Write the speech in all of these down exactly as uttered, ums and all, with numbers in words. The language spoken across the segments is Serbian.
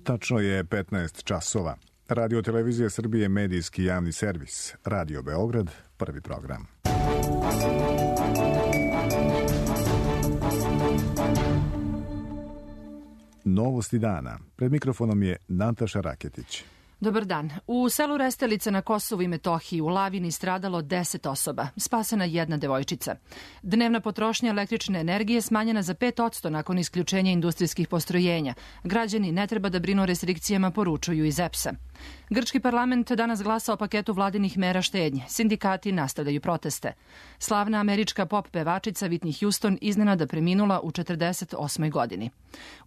Tačno je petnaest časova. Radio Televizija Srbije, medijski javni servis. Radio Beograd, prvi program. Novosti dana. Pred mikrofonom je Nataša Raketić. Dobar dan. U selu Restelica na Kosovu i Metohiji u lavini stradalo deset osoba, spasena jedna devojčica. Dnevna potrošnja električne energije smanjena za pet posto nakon isključenja industrijskih postrojenja. Građani ne treba da brinu o restrikcijama, poručuju iz E P S-a. Grčki parlament danas glasa o paketu vladinih mera štednje. Sindikati nastavljaju proteste. Slavna američka pop pevačica Whitney Houston iznenada preminula u četrdeset osmoj godini.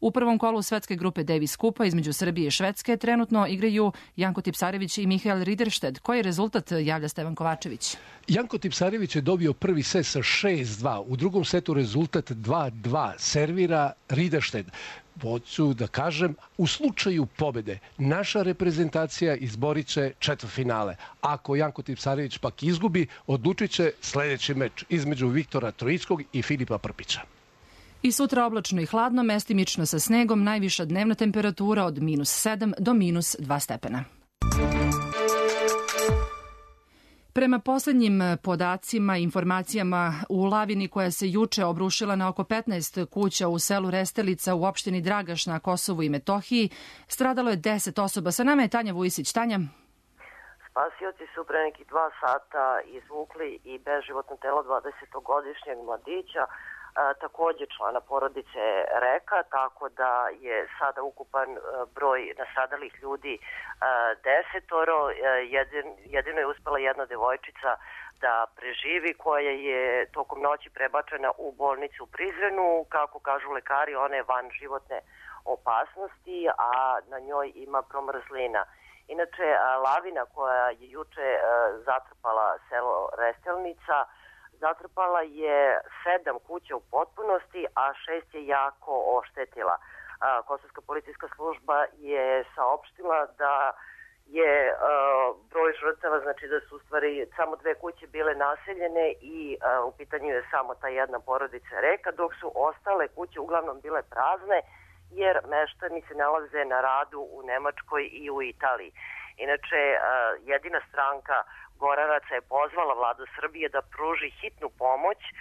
U prvom kolu svetske grupe Davis Kupa između Srbije i Švedske trenutno igraju Janko Tipsarević i Mihael Rideršted. Koji je rezultat, javlja Stevan Kovačević? Janko Tipsarević je dobio prvi set sa šest dva. U drugom setu rezultat dva dva. Servira Rideršted. Hoću da kažem, u slučaju pobede naša reprezentacija izborit će četvrtfinale. Ako Janko Tipsarević pak izgubi, odlučit će sledeći meč između Viktora Troickog i Filipa Prpića. I sutra oblačno i hladno, mestimično sa snegom, najviša dnevna temperatura od minus sedam do minus dva stepena. Prema poslednjim podacima i informacijama, u lavini koja se juče obrušila na oko petnaest kuća u selu Restelica u opštini Dragaš na Kosovu i Metohiji, stradalo je deset osoba. Sa nama je Tanja Vujisić. Tanja? Spasioci su pre nekih dva sata izvukli i beživotno telo dvadesetogodišnjeg mladića, A, takođe člana porodice Reka, tako da je sada ukupan a, broj nastradalih ljudi a, desetoro. A, jedin, jedino je uspela jedna devojčica da preživi, koja je tokom noći prebačena u bolnicu u Prizrenu. Kako kažu lekari, ona je van životne opasnosti, a na njoj ima promrzlina. Inače, a, lavina koja je juče a, zatrpala selo Restelnica zatrpala je sedam kuća u potpunosti, a šest je jako oštetila. Kosovska policijska služba je saopštila da je a, broj žrtava, znači da su u stvari samo dve kuće bile naseljene i a, u pitanju je samo ta jedna porodica Reka, dok su ostale kuće uglavnom bile prazne, jer meštani se nalaze na radu u Nemačkoj i u Italiji. Inače, a, jedina stranka Goranaca je pozvala vladu Srbije da pruži hitnu pomoć a,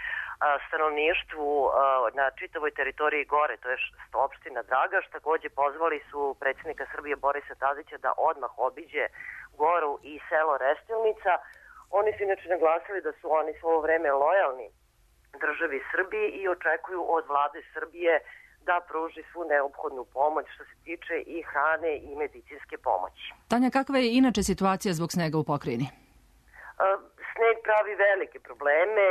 stanovništvu a, na čitavoj teritoriji Gore, to je opština Dragaš. Takođe pozvali su predsjednika Srbije Borisa Tadića da odmah obiđe Goru i selo Restelnica. Oni su inače naglasili da su oni svo ovo vreme lojalni državi Srbiji i očekuju od vlade Srbije da pruži svu neophodnu pomoć što se tiče i hrane i medicinske pomoći. Tanja, kakva je inače situacija zbog snega u pokrajini? Sneg pravi velike probleme,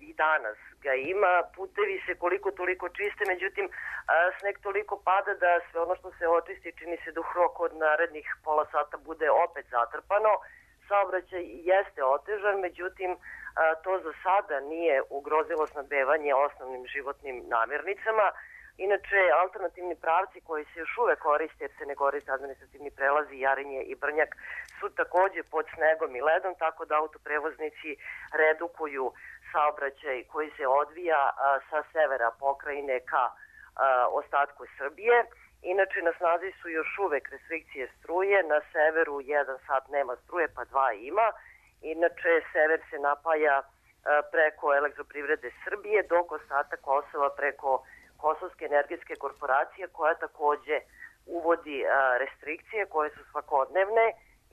i danas ga ima, putevi se koliko toliko čiste, međutim sneg toliko pada da sve ono što se očisti čini se da u roku od narednih pola sata bude opet zatrpano. Saobraćaj jeste otežan, međutim to za sada nije ugrozilo snabdevanje osnovnim životnim namirnicama. Inače, alternativni pravci koji se još uvek koriste, jer se ne koriste administrativni prelazi, Jarinje i Brnjak, su takođe pod snegom i ledom, tako da autoprevoznici redukuju saobraćaj koji se odvija a, sa severa pokrajine ka a, ostatku Srbije. Inače, na snazi su još uvek restrikcije struje, na severu jedan sat nema struje, pa dva ima. Inače, sever se napaja a, preko Elektroprivrede Srbije, dok ostatak Kosova preko Kosovske energetske korporacije, koja takođe uvodi a, restrikcije koje su svakodnevne.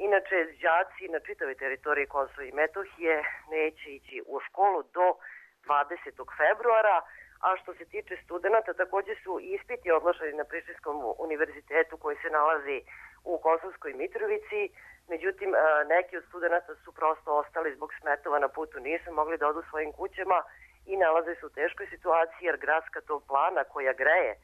Inače, đaci na čitavoj teritoriji Kosova i Metohije neće ići u školu do dvadesetog februara, a što se tiče studenta, takođe su ispiti odloženi na Prištinskom univerzitetu koji se nalazi u Kosovskoj Mitrovici. Međutim, a, neki od studenta su prosto ostali zbog smetova na putu, nisu mogli da odu svojim kućama i nalaze se u teškoj situaciji jer gradska toplana koja greje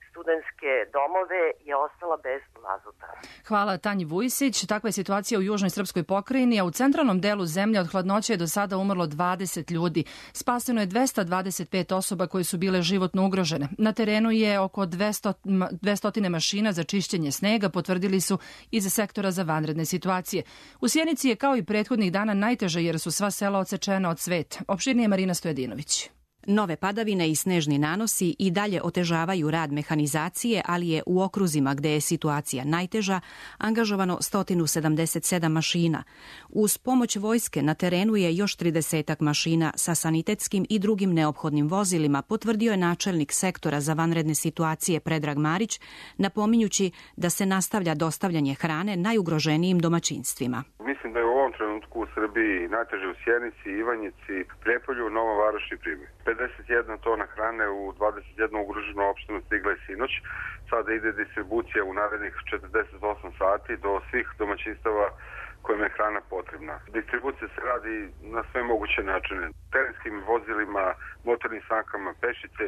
studentske domove je ostala bez mazuta. Hvala Tanji Vujisić. Takva je situacija u južnoj srpskoj pokrajini, a u centralnom delu zemlje od hladnoće je do sada umrlo dvadeset ljudi. Spaseno je dvesta dvadeset pet osoba koje su bile životno ugrožene. Na terenu je oko dvesta, dvesta mašina za čišćenje snega, potvrdili su iz sektora za vanredne situacije. U Sjenici je kao i prethodnih dana najteže jer su sva sela odsečena od sveta. Opširnije Marina Stojadinović. Nove padavine i snežni nanosi i dalje otežavaju rad mehanizacije, ali je u okruzima gde je situacija najteža angažovano sto sedamdeset sedam mašina. Uz pomoć vojske na terenu je još tridesetak mašina sa sanitetskim i drugim neophodnim vozilima, potvrdio je načelnik sektora za vanredne situacije Predrag Marić, napominjući da se nastavlja dostavljanje hrane najugroženijim domaćinstvima. Mislim da je u ovom trenutku u Srbiji najteže u Sjenici, Ivanjici, Prijepolju, Nova Varoš i Priboj. pedeset jedna tona hrane u dvadeset jednu ugroženu opštinu stigla je sinoć. Sada ide distribucija u narednih četrdeset osam sati do svih domaćinstava kojima je hrana potrebna. Distribucija se radi na sve moguće načine. Terenskim vozilima, motornim sankama, pešice,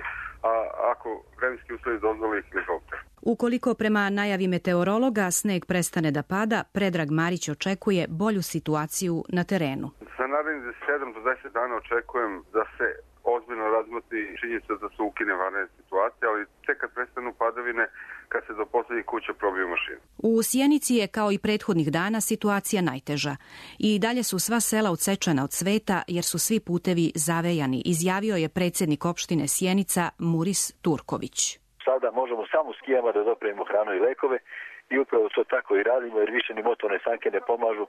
a ako vremenski uslovi dozvoli, helikopter. Ukoliko prema najavi meteorologa sneg prestane da pada, Predrag Marić očekuje bolju situaciju na terenu. Za narednih sedam do deset dana očekujem da se ozbiljno razmotri činjenica da se ukine vanredne situacije, ali tek kad prestanu padavine, kad se do poslednjih kuća probiju mašine. U Sjenici je kao i prethodnih dana situacija najteža. I dalje su sva sela odsečena od sveta jer su svi putevi zavejani, izjavio je predsjednik opštine Sjenica Muris Turković. Sada možemo samo s skijama da dopremimo hranu i lekove i upravo to tako i radimo jer više ni motorne sanke ne pomažu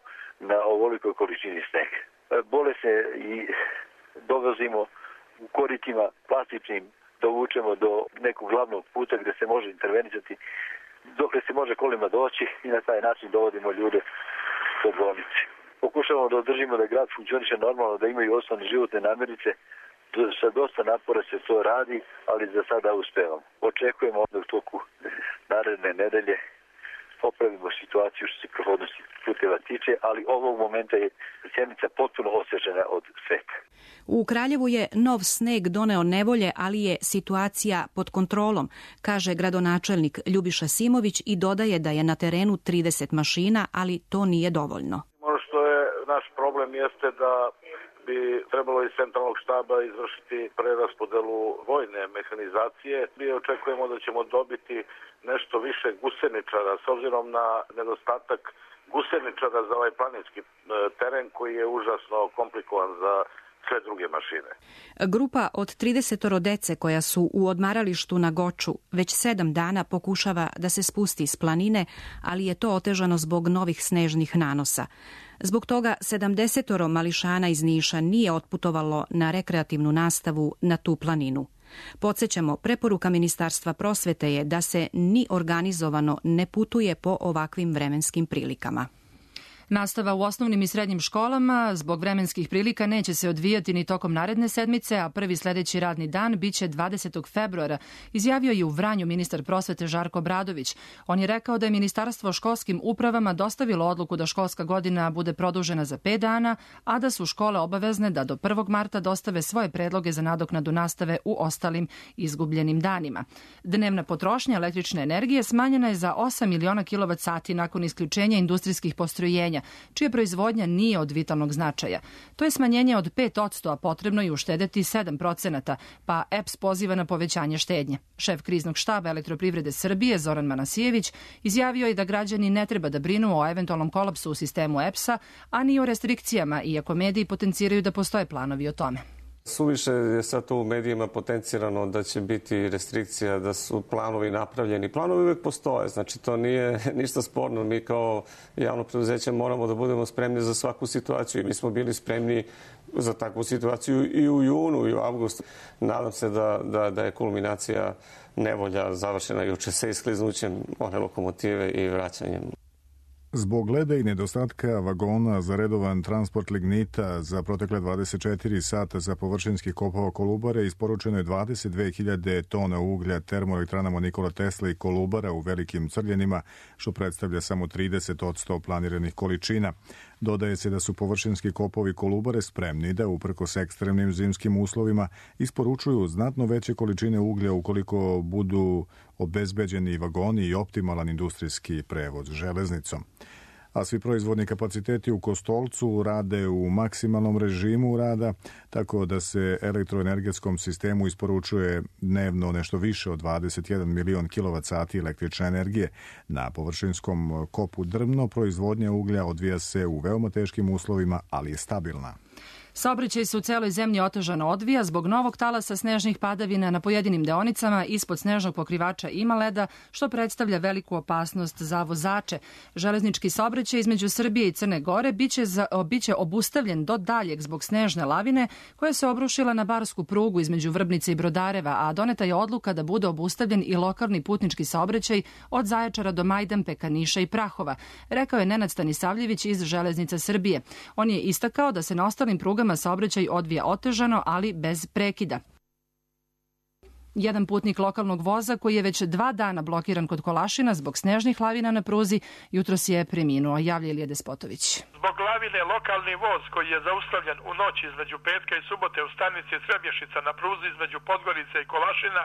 na ovolikoj količini snega. Bole se i dovozimo u koritima plastičnim, dovučemo do nekog glavnog puta gde se može intervenisati, dokle se može kolima doći i na taj način dovodimo ljude do bolnice. Pokušavamo da održimo da grad funkcioniše normalno, da imaju osnovne životne namirnice. Sa dosta napora se to radi, ali za sada uspevamo. Očekujemo da u toku naredne nedelje popravimo situaciju što se prohodnosti puteva tiče, ali ovog momenta je Sjenica potpuno osvežena od sveta. U Kraljevu je nov sneg doneo nevolje, ali je situacija pod kontrolom, kaže gradonačelnik Ljubiša Simović i dodaje da je na terenu trideset mašina, ali to nije dovoljno. Ono što je naš problem jeste da bi trebalo iz centralnog štaba izvršiti preraspodelu vojne mehanizacije. Mi očekujemo da ćemo dobiti nešto više guseničara s obzirom na nedostatak guseničara za ovaj planinski teren koji je užasno komplikovan za sve druge mašine. Grupa od trideset dece koja su u odmaralištu na Goču već sedam dana pokušava da se spusti s planine, ali je to otežano zbog novih snežnih nanosa. Zbog toga sedamdeset mališana iz Niša nije otputovalo na rekreativnu nastavu na tu planinu. Podsjećamo, preporuka Ministarstva prosvete je da se ni organizovano ne putuje po ovakvim vremenskim prilikama. Nastava u osnovnim i srednjim školama zbog vremenskih prilika neće se odvijati ni tokom naredne sedmice, a prvi sledeći radni dan biće dvadesetog februara, izjavio je u Vranju ministar prosvete Žarko Obradović. On je rekao da je ministarstvo školskim upravama dostavilo odluku da školska godina bude produžena za pet dana, a da su škole obavezne da do prvog marta dostave svoje predloge za nadoknadu nastave u ostalim izgubljenim danima. Dnevna potrošnja električne energije smanjena je za osam miliona kilovat sati nakon isključenja industrijskih postrojenja, čija proizvodnja nije od vitalnog značaja. To je smanjenje od pet odsto, a potrebno je uštedeti sedam procenata, pa E P S poziva na povećanje štednje. Šef kriznog štaba Elektroprivrede Srbije Zoran Manasijević izjavio je da građani ne treba da brinu o eventualnom kolapsu u sistemu E P S-a, a ni o restrikcijama, iako mediji potenciraju da postoje planovi o tome. Suviše je sad to u medijima potencirano da će biti restrikcija, da su planovi napravljeni. Planovi uvijek postoje, znači to nije ništa sporno. Mi kao javno preduzeće moramo da budemo spremni za svaku situaciju i mi smo bili spremni za takvu situaciju i u junu i u avgustu. Nadam se da, da, da je kulminacija nevolja završena juče sa iskliznućem one lokomotive i vraćanjem. Zbog leda i nedostatka vagona za redovan transport lignita za protekle dvadeset četiri sata za površinskih kopova Kolubare isporučeno je dvadeset dve hiljade tona uglja termoelektranama Nikola Tesla i Kolubara u Velikim Crljenima, što predstavlja samo trideset odsto planiranih količina. Dodaje se da su površinski kopovi Kolubare spremni da, uprkos ekstremnim zimskim uslovima, isporučuju znatno veće količine uglja ukoliko budu obezbeđeni vagoni i optimalan industrijski prevoz železnicom. A svi proizvodni kapaciteti u Kostolcu rade u maksimalnom režimu rada, tako da se elektroenergetskom sistemu isporučuje dnevno nešto više od dvadeset jedan milion kilovat sati električne energije. Na površinskom kopu Drvno proizvodnja uglja odvija se u veoma teškim uslovima, ali je stabilna. Saobraćaj se u celoj zemlji otežano odvija zbog novog talasa snežnih padavina na pojedinim deonicama ispod snežnog pokrivača ima leda, što predstavlja veliku opasnost za vozače. Železnički saobraćaj između Srbije i Crne Gore biće, za, biće obustavljen do daljeg zbog snežne lavine koja se obrušila na barsku prugu između Vrbnice i Brodareva, a doneta je odluka da bude obustavljen i lokalni putnički saobraćaj od Zaječara do Majdanpeka, Niša i Prahova, rekao je Nenad Stanisavljević iz Železnica Srbije. On je istakao da se na ostalim prugama saobraćaj odvija otežano, ali bez prekida. Jedan putnik lokalnog voza koji je već dva dana blokiran kod Kolašina zbog snežnih lavina na pruzi jutros je preminuo, javlja Ilija Despotović. Zbog lavine lokalni voz koji je zaustavljen u noći između petka i subote u stanici Trebješica na pruzi između Podgorice i Kolašina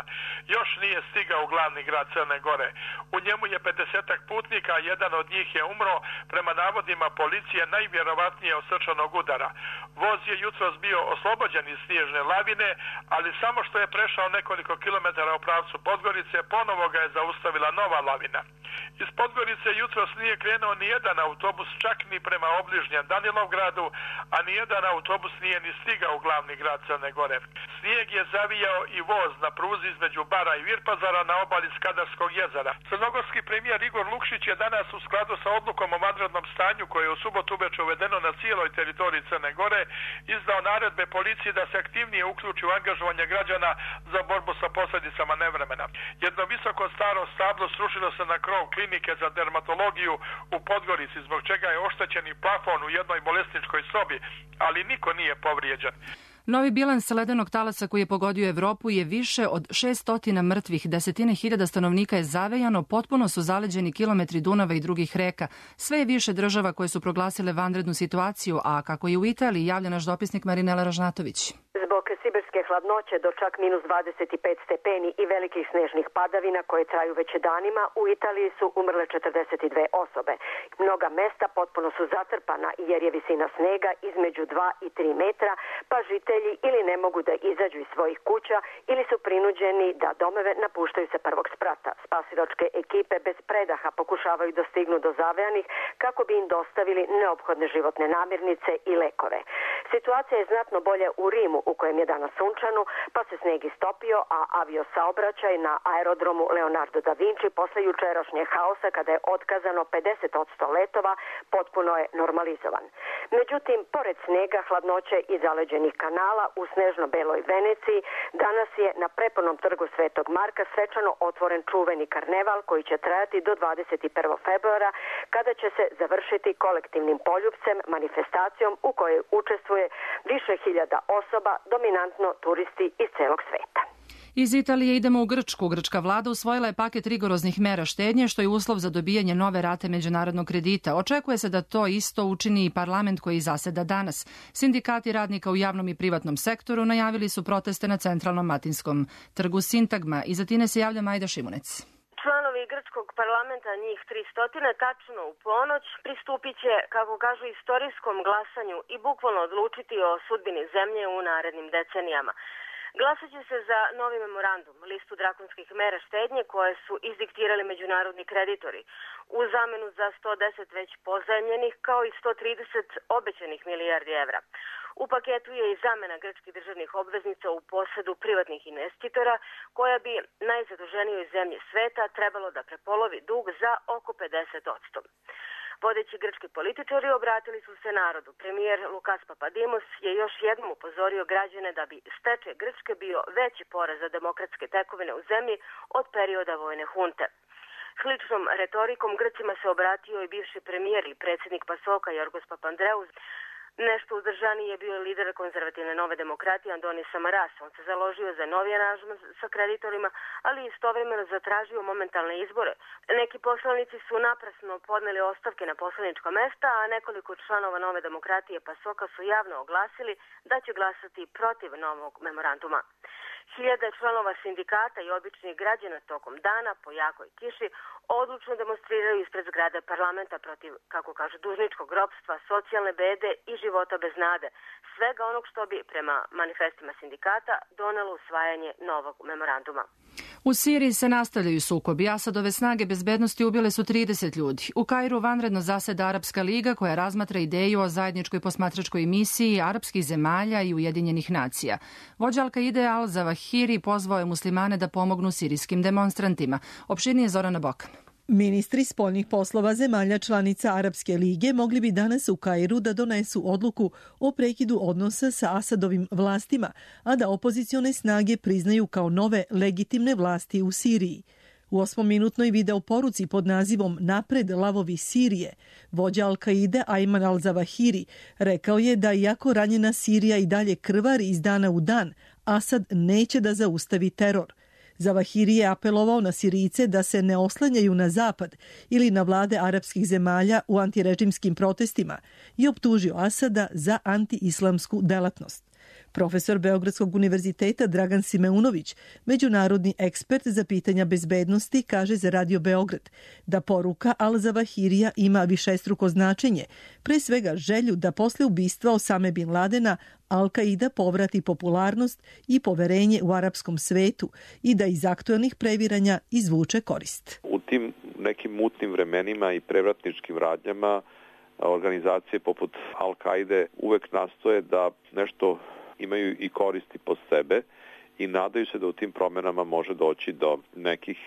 još nije stigao u glavni grad Crne Gore. U njemu je pedesetak putnika, a jedan od njih je umro, prema navodima policije najvjerovatnije od srčanog udara. Voz je jutros bio oslobođen iz snježne lavine, ali samo što je prešao nekoliko kilometara u pravcu Podgorice, ponovo ga je zaustavila nova lavina. Iz Podgorice jutros nije krenuo ni jedan autobus, čak ni prema obližnjem Danilovgradu, a ni jedan autobus nije ni stigao u glavni grad Crne Gore. Snijeg je zavijao i voz na pruzi između Bara i Virpazara na obali Skadarskog jezera. Crnogorski premijer Igor Lukšić je danas u skladu sa odlukom o vanrednom stanju koje je u subotu uveče uvedeno na cijeloj teritoriji Crne Gore izdao naredbe policiji da se aktivnije uključi u angažovanje građana za borbu sa posljedicama nevremena. Jedno visoko staro stablo srušilo se na krov klinike za dermatologiju u Podgorici, zbog čega je oštećen i plafon u jednoj bolesničkoj sobi, ali niko nije povrijeđen. Novi bilans ledenog talasa koji je pogodio Evropu je više od šessto mrtvih, desetine hiljada stanovnika je zavejano, potpuno su zaleđeni kilometri Dunava i drugih reka. Sve je više država koje su proglasile vanrednu situaciju, a kako je u Italiji, javlja naš dopisnik Marinela Ražnatović. Zbog sibirske hladnoće do čak minus dvadeset pet stepeni i velikih snežnih padavina koje traju već danima, u Italiji su umrle četrdeset dve osobe. Mnoga mesta potpuno su zatrpana jer je visina snega između dva i tri metra, pa žitelji ili ne mogu da izađu iz svojih kuća ili su prinuđeni da domove napuštaju sa prvog sprata. Spasilačke ekipe bez predaha pokušavaju da stignu do zavejanih kako bi im dostavili neophodne životne namirnice i lekove. Situacija je znatno bolja u Rimu, u kojem je danas sunčano, pa se sneg istopio, a aviosaobraćaj na aerodromu Leonardo da Vinci posle jučerašnjeg haosa, kada je otkazano pedeset posto letova, potpuno je normalizovan. Međutim, pored snega, hladnoće i zaleđenih kanala u snežno-beloj Veneciji, danas je na prepunom trgu Svetog Marka svečano otvoren čuveni karneval koji će trajati do dvadeset prvog februara, kada će se završiti kolektivnim poljupcem, manifestacijom u kojoj učestvuje više hiljada osoba, dominantno turisti iz celog sveta. Iz Italije idemo u Grčku. Grčka vlada usvojila je paket rigoroznih mera štednje, što je uslov za dobijanje nove rate međunarodnog kredita. Očekuje se da to isto učini i parlament koji zaseda danas. Sindikati radnika u javnom i privatnom sektoru najavili su proteste na centralnom Matinskom trgu Sintagma. Iz Atine se javlja Majda Šimunec. Članovi grčkog parlamenta, njih tristo, tačno u ponoć, pristupit će, kako kažu, istorijskom glasanju i bukvalno odlučiti o sudbini zemlje u narednim decenijama. Glasat će se za novi memorandum, listu drakonskih mera štednje koje su izdiktirali međunarodni kreditori, u zamenu za sto deset već pozajmljenih kao i sto trideset obećanih milijardi evra. U paketu je i zamena grčkih državnih obveznica u posedu privatnih investitora, koja bi najzaduženijoj zemlji sveta trebalo da prepolovi dug za oko pedeset posto. Vodeći grčki političari obratili su se narodu. Premijer Lukas Papadimos je još jednom upozorio građane da bi stečaj Grčke bio veći poraz za demokratske tekovine u zemlji od perioda vojne hunte. Sličnom retorikom Grcima se obratio i bivši premijer i predsjednik Pasoka Jorgos Papandreou. Nešto uzdržaniji je bio lider konzervativne Nove demokratije Andonis Samaras. On se založio za novi aranžman sa kreditorima, ali istovremeno zatražio momentalne izbore. Neki poslanici su naprasno podneli ostavke na poslanička mesta, a nekoliko članova Nove demokratije Pasoka su javno oglasili da će glasati protiv novog memoranduma. Hiljade članova sindikata i običnih građana tokom dana po jakoj kiši odlučno demonstriraju ispred zgrade parlamenta protiv, kako kažu, dužničkog ropstva, socijalne bede i života bez nade. Svega onog što bi, prema manifestima sindikata, donelo usvajanje novog memoranduma. U Siriji se nastavljaju sukobi. Asadove snage bezbednosti ubile su trideset ljudi. U Kairu vanredno zaseda Arapska liga koja razmatra ideju o zajedničkoj posmatračkoj misiji arapskih zemalja i Ujedinjenih nacija. Vođa Al-Kaide Al-Zawahiri pozvao je muslimane da pomognu sirijskim demonstrantima. Opširnije Zorana Bokan. Ministri spoljnih poslova zemalja članica Arapske lige mogli bi danas u Kairu da donesu odluku o prekidu odnosa sa Asadovim vlastima, a da opozicione snage priznaju kao nove legitimne vlasti u Siriji. U osmominutnoj video poruci pod nazivom Napred lavovi Sirije, vođa Al-Kaide Ayman al-Zawahiri rekao je da iako ranjena Sirija i dalje krvari iz dana u dan, Asad neće da zaustavi teror. Zawahiri je apelovao na Sirijce da se ne oslanjaju na zapad ili na vlade arapskih zemalja u antirežimskim protestima i optužio Asada za anti-islamsku delatnost. Profesor Beogradskog univerziteta Dragan Simeunović, međunarodni ekspert za pitanja bezbednosti, kaže za Radio Beograd da poruka Al-Zawahirija ima višestruko značenje, pre svega želju da posle ubistva Osame bin Ladena Al-Kaida povrati popularnost i poverenje u arapskom svetu i da iz aktuelnih previranja izvuče korist. U tim nekim mutnim vremenima i prevratničkim radnjama organizacije poput Al-Kaide uvek nastoje da nešto imaju i koristi po sebe i nadaju se da u tim promenama može doći do nekih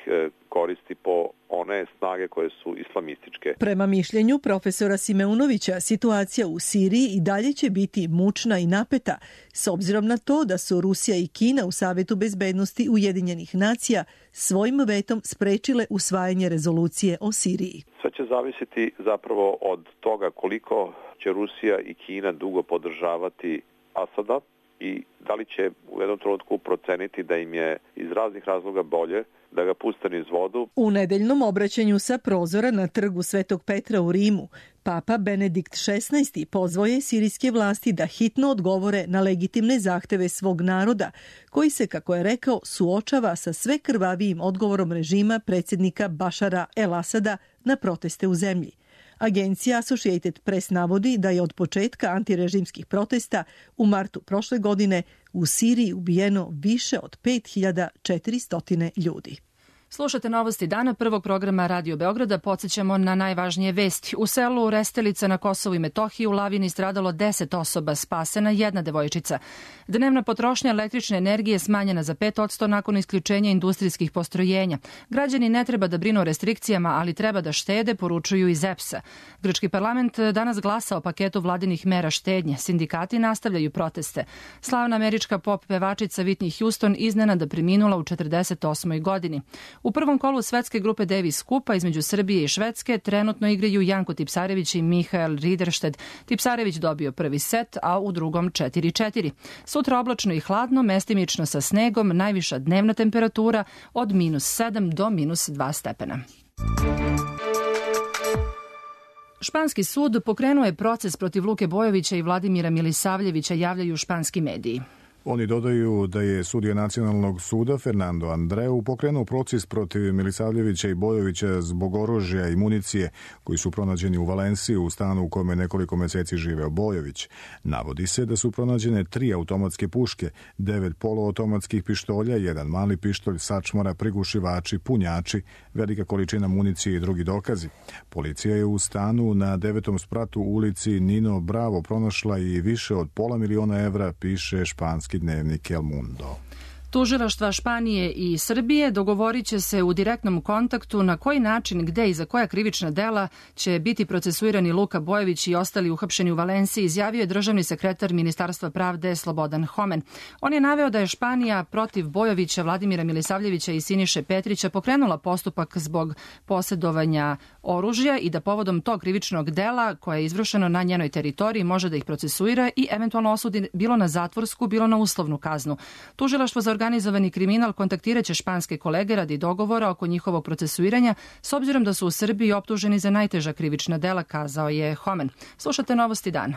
koristi po one snage koje su islamističke. Prema mišljenju profesora Simeunovića, situacija u Siriji i dalje će biti mučna i napeta, s obzirom na to da su Rusija i Kina u Savetu bezbednosti Ujedinjenih nacija svojim vetom sprečile usvajanje rezolucije o Siriji. Sve će zavisiti zapravo od toga koliko će Rusija i Kina dugo podržavati Asada i da li će u jednom trenutku proceniti da im je iz raznih razloga bolje da ga puste niz vodu. U nedeljnom obraćanju sa prozora na trgu Svetog Petra u Rimu, Papa Benedikt šesnaesti pozvao je sirijske vlasti da hitno odgovore na legitimne zahteve svog naroda, koji se, kako je rekao, suočava sa sve krvavijim odgovorom režima predsjednika Bašara el-Asada na proteste u zemlji. Agencija Associated Press navodi da je od početka antirežimskih protesta u martu prošle godine u Siriji ubijeno više od pet hiljada četiristo ljudi. Slušate novosti dana prvog programa Radio Beograda. Podsjećamo na najvažnije vesti. U selu Restelica na Kosovu i Metohiji u lavini stradalo deset osoba, spasena jedna devojčica. Dnevna potrošnja električne energije smanjena za pet posto nakon isključenja industrijskih postrojenja. Građani ne treba da brinu o restrikcijama, ali treba da štede, poručuju iz E P S-a. Grčki parlament danas glasa o paketu vladinih mera štednje. Sindikati nastavljaju proteste. Slavna američka pop pevačica Whitney Houston iznenada preminula u četrdeset osmoj godini. U prvom kolu svetske grupe Davis Kupa između Srbije i Švedske trenutno igraju Janko Tipsarević i Mihael Rideršted. Tipsarević dobio prvi set, a u drugom četiri četiri. Sutra oblačno i hladno, mestimično sa snegom, najviša dnevna temperatura od minus sedam do minus dva stepena. Španski sud pokrenuo je proces protiv Luke Bojovića i Vladimira Milisavljevića, javljaju španski mediji. Oni dodaju da je sudija Nacionalnog suda Fernando Andreu pokrenuo proces protiv Milisavljevića i Bojovića zbog oružja i municije koji su pronađeni u Valenciji u stanu u kome nekoliko meseci živeo Bojović. Navodi se da su pronađene tri automatske puške, devet poluautomatskih pištolja, jedan mali pištolj, sačmara, prigušivači, punjači, velika količina municije i drugi dokazi. Policija je u stanu na devetom spratu u ulici Nino Bravo pronašla i više od pola miliona evra, piše španski dnevnik El Mundo. Tužilaštva Španije i Srbije dogovorit će se u direktnom kontaktu na koji način, gde i za koja krivična dela će biti procesuirani Luka Bojović i ostali uhapšeni u Valenciji, izjavio je državni sekretar Ministarstva pravde Slobodan Homen. On je naveo da je Španija protiv Bojovića, Vladimira Milisavljevića i Siniše Petrića pokrenula postupak zbog posjedovanja oružja i da povodom tog krivičnog dela koje je izvršeno na njenoj teritoriji može da ih procesuira i eventualno osudi bilo na zatvorsku, bilo na uslovnu kaznu. Tužilaštvo za organizovani kriminal kontaktiraće španske kolege radi dogovora oko njihovog procesuiranja, s obzirom da su u Srbiji optuženi za najteža krivična dela, kazao je Homen. Slušate novosti dana.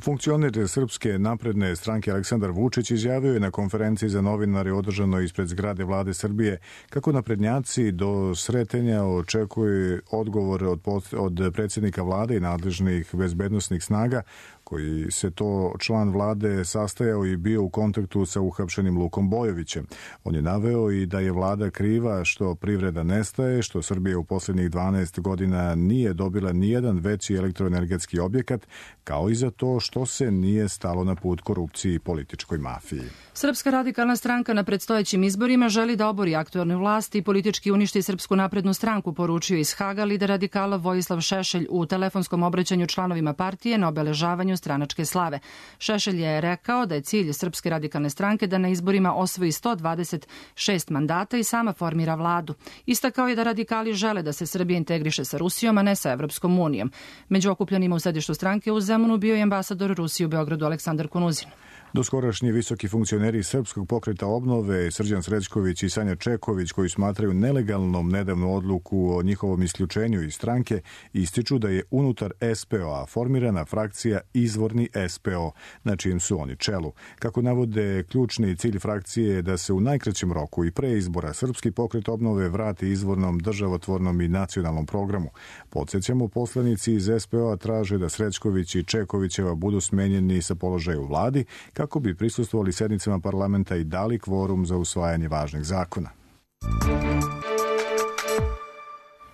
Funkcioner Srpske napredne stranke Aleksandar Vučić izjavio je na konferenciji za novinare održanoj ispred zgrade vlade Srbije kako naprednjaci do sretenja očekuju odgovore od, od predsjednika vlade i nadležnih bezbednosnih snaga koji se to član vlade sastajao i bio u kontaktu sa uhapšenim Lukom Bojovićem. On je naveo i da je vlada kriva što privreda nestaje, što Srbija u posljednjih dvanaest godina nije dobila nijedan veći elektroenergetski objekat, kao i za to što se nije stalo na put korupciji i političkoj mafiji. Srpska radikalna stranka na predstojećim izborima želi da obori aktuelnu vlast i politički uništi Srpsku naprednu stranku, poručio iz Haga lider radikala Vojislav Šešelj u telefonskom obraćanju članovima partije na obeležavanju stranačke slave. Šešelj je rekao da je cilj Srpske radikalne stranke da na izborima osvoji sto dvadeset šest mandata i sama formira vladu. Istakao je da radikali žele da se Srbija integriše sa Rusijom, a ne sa Evropskom unijom. Među okupljenima u sedištu stranke u Zemunu bio je ambasador Rusije u Beogradu Aleksandar Kunuzin. Doskorašnji visoki funkcioneri Srpskog pokreta obnove Srđan Srećković i Sanja Čeković, koji smatraju nelegalnom nedavnu odluku o njihovom isključenju iz stranke, ističu da je unutar S P O-a formirana frakcija Izvorni S P O, na čijem su oni čelu. Kako navode, ključni cilj frakcije je da se u najkraćem roku i pre izbora Srpski pokret obnove vrati izvornom, državotvornom i nacionalnom programu. Podsjećamo, poslanici iz S P O-a traže da Srećković i Čekovićeva budu smenjeni sa položaja u vladi, kako bi prisustvovali sednicama parlamenta i dali kvorum za usvajanje važnih zakona.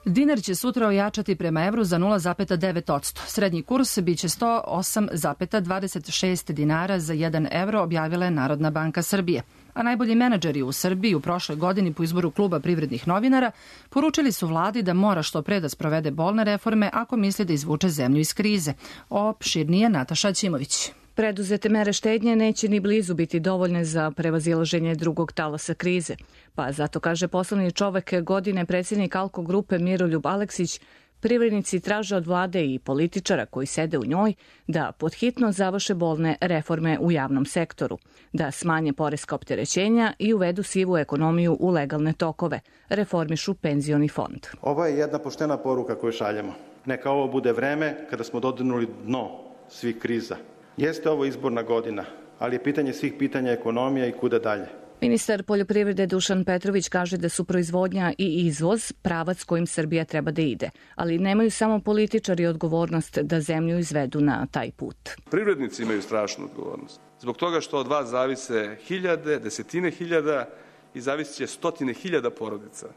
Dinar će sutra ojačati prema evru za nula zarez devet posto. Srednji kurs biće sto osam zarez dvadeset šest dinara za jedan evro, objavila je Narodna banka Srbije. A najbolji menadžeri u Srbiji u prošloj godini po izboru kluba privrednih novinara poručili su vladi da mora što pre da sprovede bolne reforme ako misli da izvuče zemlju iz krize. Opširnije Nataša Ćimović. Preduzete mere štednje neće ni blizu biti dovoljne za prevazilaženje drugog talasa krize. Pa zato, kaže poslovni čovek godine predsjednik Alko grupe Miroljub Aleksić, privrednici traže od vlade i političara koji sede u njoj da podhitno završe bolne reforme u javnom sektoru, da smanje poreska opterećenja i uvedu sivu ekonomiju u legalne tokove, reformišu penzioni fond. Ovo je jedna poštena poruka koju šaljemo. Neka ovo bude vreme kada smo dodirnuli dno svih kriza. Jeste ovo izborna godina, ali je pitanje svih pitanja ekonomija i kuda dalje. Ministar poljoprivrede Dušan Petrović kaže da su proizvodnja i izvoz pravac kojim Srbija treba da ide, ali nemaju samo političari odgovornost da zemlju izvedu na taj put. Privrednici imaju strašnu odgovornost. Zbog toga što od vas zavise hiljade, desetine hiljada i zavisit će stotine hiljada porodica.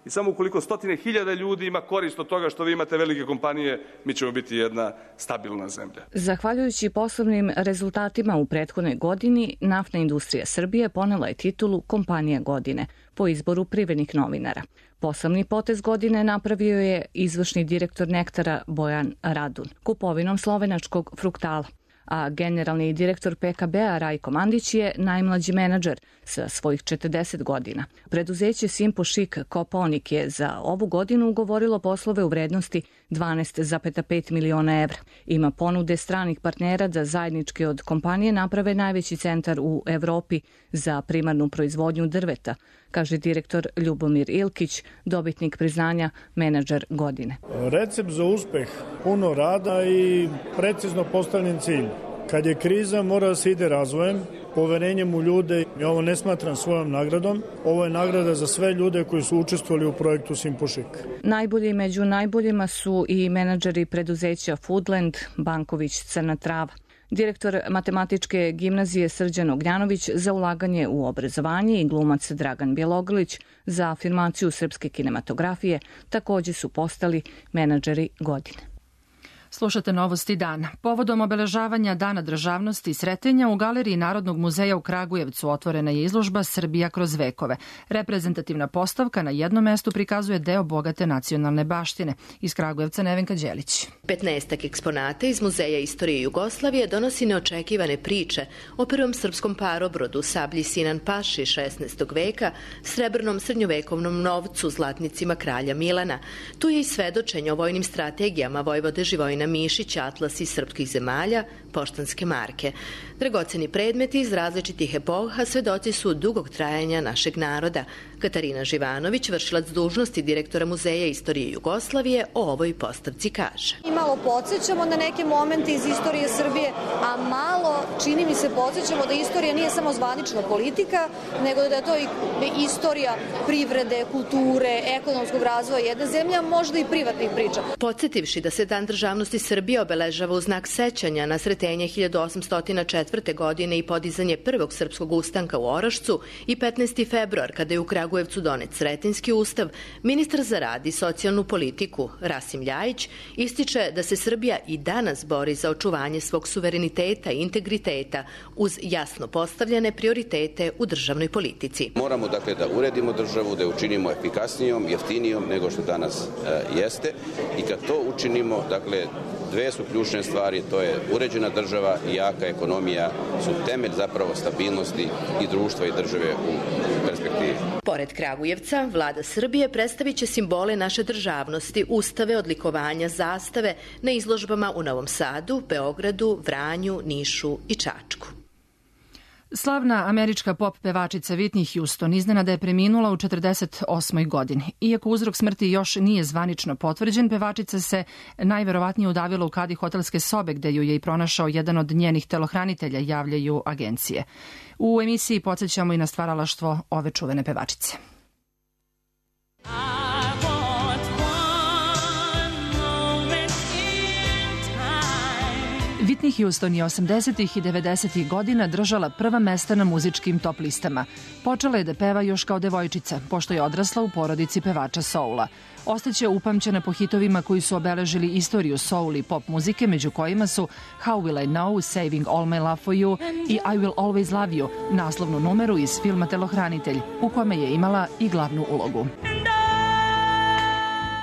I samo ukoliko stotine hiljada ljudi ima korist od toga što vi imate velike kompanije, mi ćemo biti jedna stabilna zemlja. Zahvaljujući poslovnim rezultatima u prethodnoj godini, Naftna industrija Srbije ponela je titulu Kompanija godine po izboru privrednih novinara. Poslovni potez godine napravio je izvršni direktor Nektara Bojan Radun kupovinom slovenačkog Fruktala, a generalni direktor P K B-a Rajko Mandić je najmlađi menadžer sa svojih četrdeset godina. Preduzeće Simpo Šik Koponik je za ovu godinu ugovorilo poslove u vrednosti dvanaest zarez pet miliona evra. Ima ponude stranih partnera da zajednički od kompanije naprave najveći centar u Evropi za primarnu proizvodnju drveta, kaže direktor Ljubomir Ilkić, dobitnik priznanja menadžer godine. Recept za uspeh, puno rada i precizno postavljen cilj. Kad je kriza, mora da se ide razvojem, poverenjem u ljude. Ja ovo ne smatram svojom nagradom. Ovo je nagrada za sve ljude koji su učestvovali u projektu Simpošik. Najbolji među najboljima su i menadžeri preduzeća Foodland, Banković, Crna Trava. Direktor matematičke gimnazije Srđan Ognjanović za ulaganje u obrazovanje i glumac Dragan Bjelogrlić za afirmaciju srpske kinematografije također su postali menadžeri godine. Slušate Novosti dana. Povodom obeležavanja Dana državnosti i Sretenja u Galeriji Narodnog muzeja u Kragujevcu otvorena je izložba Srbija kroz vekove. Reprezentativna postavka na jednom mestu prikazuje deo bogate nacionalne baštine. Iz Kragujevca Nevenka Đelić. petnaestak eksponata iz Muzeja istorije Jugoslavije donosi neočekivane priče o prvom srpskom parobrodu, sablji Sinan Paši šesnaestog veka, srebrnom srednjovekovnom novcu, zlatnicima kralja Milana. Tu je i svedočenje o vojnim strategijama vojvode Živojina Mišića, atlasi srpskih zemalja, poštanske marke. Dragoceni predmeti iz različitih epoha svedoci su dugog trajanja našeg naroda. Katarina Živanović, vršilac dužnosti direktora Muzeja istorije Jugoslavije, o ovoj postavci kaže. Imalo zapravo podsjećamo na neke momente iz istorije Srbije, a malo, čini mi se, podsjećamo da istorija nije samo zvanična politika, nego da je to i istorija privrede, kulture, ekonomskog razvoja jedne zemlje, a možda i privatnih priča. Podsjetivši da se Dan državnosti Srbije obeležava u znak sećanja na sretenje hiljadu osamsto četvrte. godine i podizanje prvog srpskog ustanka u Orašcu i petnaesti februar kada je u Kragujevcu donet Sretenjski ustav, ministar za rad i socijalnu politiku Rasim Ljajić ističe da se Srbija i danas bori za očuvanje svog suvereniteta i integriteta uz jasno postavljene prioritete u državnoj politici. Moramo dakle da uredimo državu, da je učinimo efikasnijom, jeftinijom nego što danas e, jeste i kad to učinimo, dakle, dve su ključne stvari, to je uređena država i jaka ekonomija su temelj zapravo stabilnosti i društva i države u perspektivi. Pored Kragujevca, vlada Srbije predstavit će simbole naše državnosti, ustave, odlikovanja, zastave na izložbama u Novom Sadu, Beogradu, Vranju, Nišu i Čačku. Slavna američka pop pevačica Whitney Houston iznenada je preminula u četrdeset osmoj godini. Iako uzrok smrti još nije zvanično potvrđen, pevačica se najverovatnije udavila u kadi hotelske sobe gde ju je i pronašao jedan od njenih telohranitelja, javljaju agencije. U emisiji podsjećamo i na stvaralaštvo ove čuvene pevačice. Whitney Houston je osamdesetih i devedesetih godina držala prva mesta na muzičkim top listama. Počela je da peva još kao devojčica, pošto je odrasla u porodici pevača soula. Ostaće upamćena po hitovima koji su obeležili istoriju soul i pop muzike, među kojima su How Will I Know, Saving All My Love For You i I Will Always Love You, naslovnu numeru iz filma Telohranitelj, u kome je imala i glavnu ulogu.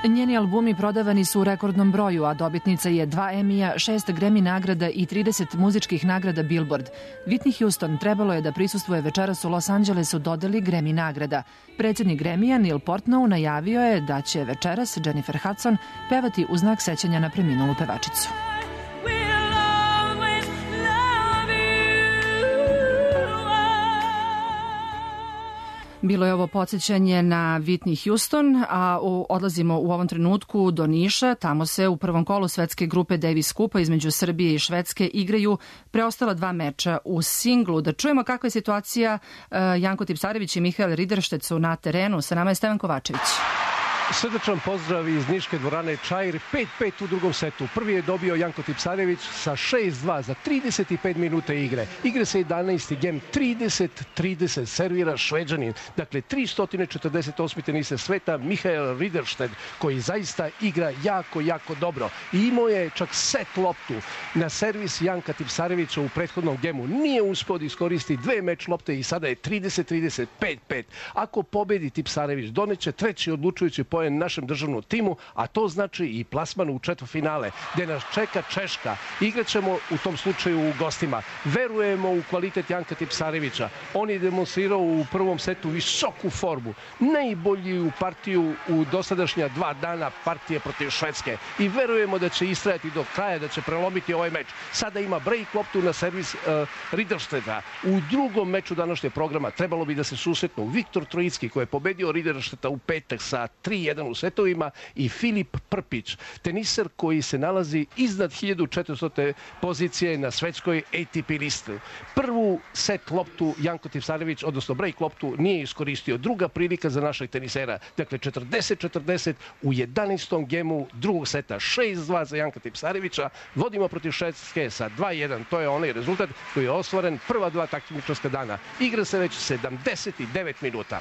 Njeni albumi prodavani su u rekordnom broju, a dobitnica je dva Emija, šest Grammy nagrada i trideset muzičkih nagrada Billboard. Whitney Houston trebalo je da prisustvuje večeras u Los Angelesu dodeli Grammy nagrada. Predsjednik Grammya Neil Portnow najavio je da će večeras Jennifer Hudson pevati u znak sećanja na preminulu pevačicu. Bilo je ovo podsjećanje na Whitney Houston, a u, odlazimo u ovom trenutku do Niša. Tamo se u prvom kolu svetske grupe Davis Cupa između Srbije i Švedske igraju preostala dva meča u singlu. Da čujemo kakva je situacija. Janko Tipsarević i Mihael Riderštec su na terenu. Sa nama je Stevan Kovačević. Srdačan pozdrav iz Niške dvorane Čair, pet pet u drugom setu. Prvi je dobio Janko Tipsarević sa šest dva za trideset pet minuta igre. Igre se jedanaesti gem, trideset trideset servira Šveđanin. Dakle, tristo četrdeset osmi teniser sveta Mihael Rideršted, koji zaista igra jako, jako dobro. I imao je čak set loptu na servis Janka Tipsarevića u prethodnom gemu. Nije uspio da iskoristi dve meč lopte i sada je trideset trideset, pet pet. Ako pobedi Tipsarević, doneće treći odlučujući poen našem državnom timu, a to znači i plasman u četvrtfinale, gde nas čeka Češka. Igraćemo u tom slučaju u gostima. Verujemo u kvalitet Janka Tipsarevića. On je demonstrirao u prvom setu visoku formu. Najbolju partiju u dosadašnja dva dana partije protiv Švedske. I verujemo da će istrajati do kraja, da će prelomiti ovaj meč. Sada ima break loptu na servis uh, Rideršteda. U drugom meču današnjeg programa trebalo bi da se susretnu Viktor Trojicki, koji je pobedio Rideršteda u petak sa tri jedan u setovima, i Filip Prpić, teniser koji se nalazi iznad hiljadu četiristote pozicije na svetskoj A T P listu. Prvu set loptu Janko Tipsarević, odnosno break loptu, nije iskoristio. Druga prilika za našeg tenisera. Dakle, četrdeset četrdeset u jedanaestom gemu drugog seta. šest dva za Janka Tipsarevića. Vodimo protiv Švedske sa dva jedan. To je onaj rezultat koji je ostvaren prva dva takmičarska dana. Igra se već sedamdeset devet minuta.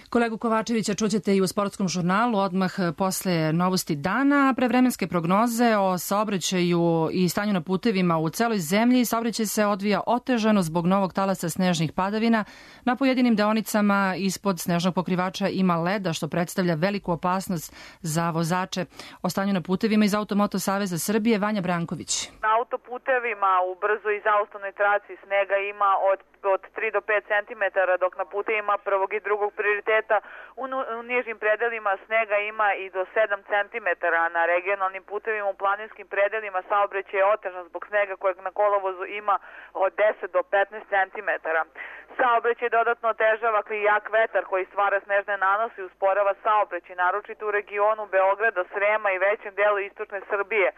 Kolegu Kovačevića čućete i u sportskom žurnalu odmah posle novosti dana. Prevremenske prognoze o saobraćaju i stanju na putevima u celoj zemlji. Saobraćaj se odvija otežano zbog novog talasa snežnih padavina. Na pojedinim deonicama ispod snežnog pokrivača ima leda, što predstavlja veliku opasnost za vozače. O stanju na putevima iz Automoto Saveza Srbije, Vanja Branković. Na autoputevima u brzo i zaustavnoj traci snega ima od od tri do pet centimetara, dok na putevima prvog i drugog prioriteta U, u nižim predelima snega ima i do sedam centimetara, na regionalnim putevima u planinskim predelima saobraćaj je otežan zbog snega kojeg na kolovozu ima od deset do petnaest centimetara. Saobraćaj dodatno otežava jak vetar koji stvara snežne nanose i usporava saobraćaj, naročito u regionu Beograda, Srema i većem delu istočne Srbije.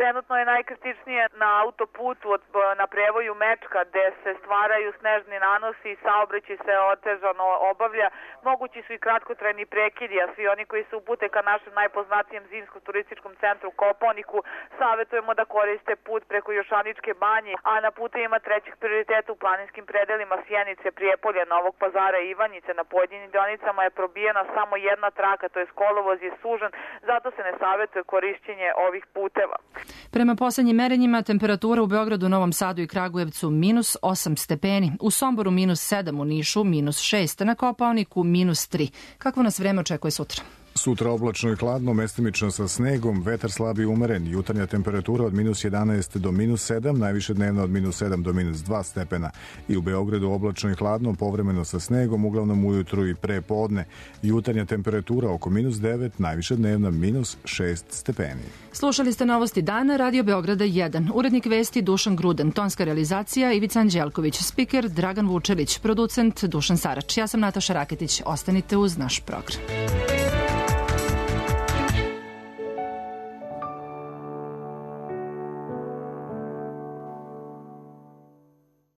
Trenutno je najkritičnije na autoputu od, na prevoju Mečka gde se stvaraju snežni nanosi i saobraćaj se otežano obavlja. Mogući su i kratkotrajni prekidi, a svi oni koji se upute ka našem najpoznatijem zimskom turističkom centru Kopaoniku savjetujemo da koriste put preko Jošaničke banje, a na putevima trećeg prioriteta u planinskim predelima Sjenice, Prijepolja, Novog Pazara i Ivanjice na pojedinim deonicama je probijena samo jedna traka, to je kolovoz je sužen, zato se ne savjetuje korišćenje ovih puteva. Prema poslednjim merenjima, temperatura u Beogradu, Novom Sadu i Kragujevcu minus osam stepeni, u Somboru minus sedam, u Nišu minus šest, na Kopaoniku minus tri. Kakvo nas vreme očekuje sutra? Sutra oblačno i hladno, mestimično sa snegom, vetar slab i umeren, jutarnja temperatura od minus jedanaest do minus sedam, najviše dnevno od minus sedam do minus dva stepena. I u Beogradu oblačno i hladno, povremeno sa snegom, uglavnom ujutru i pre podne. Jutarnja temperatura oko minus devet, najviše dnevna minus šest stepeni. Slušali ste novosti dana, Radio Beograda jedan. Urednik vesti Dušan Gruden, tonska realizacija Ivica Anđelković, spiker Dragan Vučelić, producent Dušan Sarač. Ja sam Nataša Raketić. Ostanite uz naš program.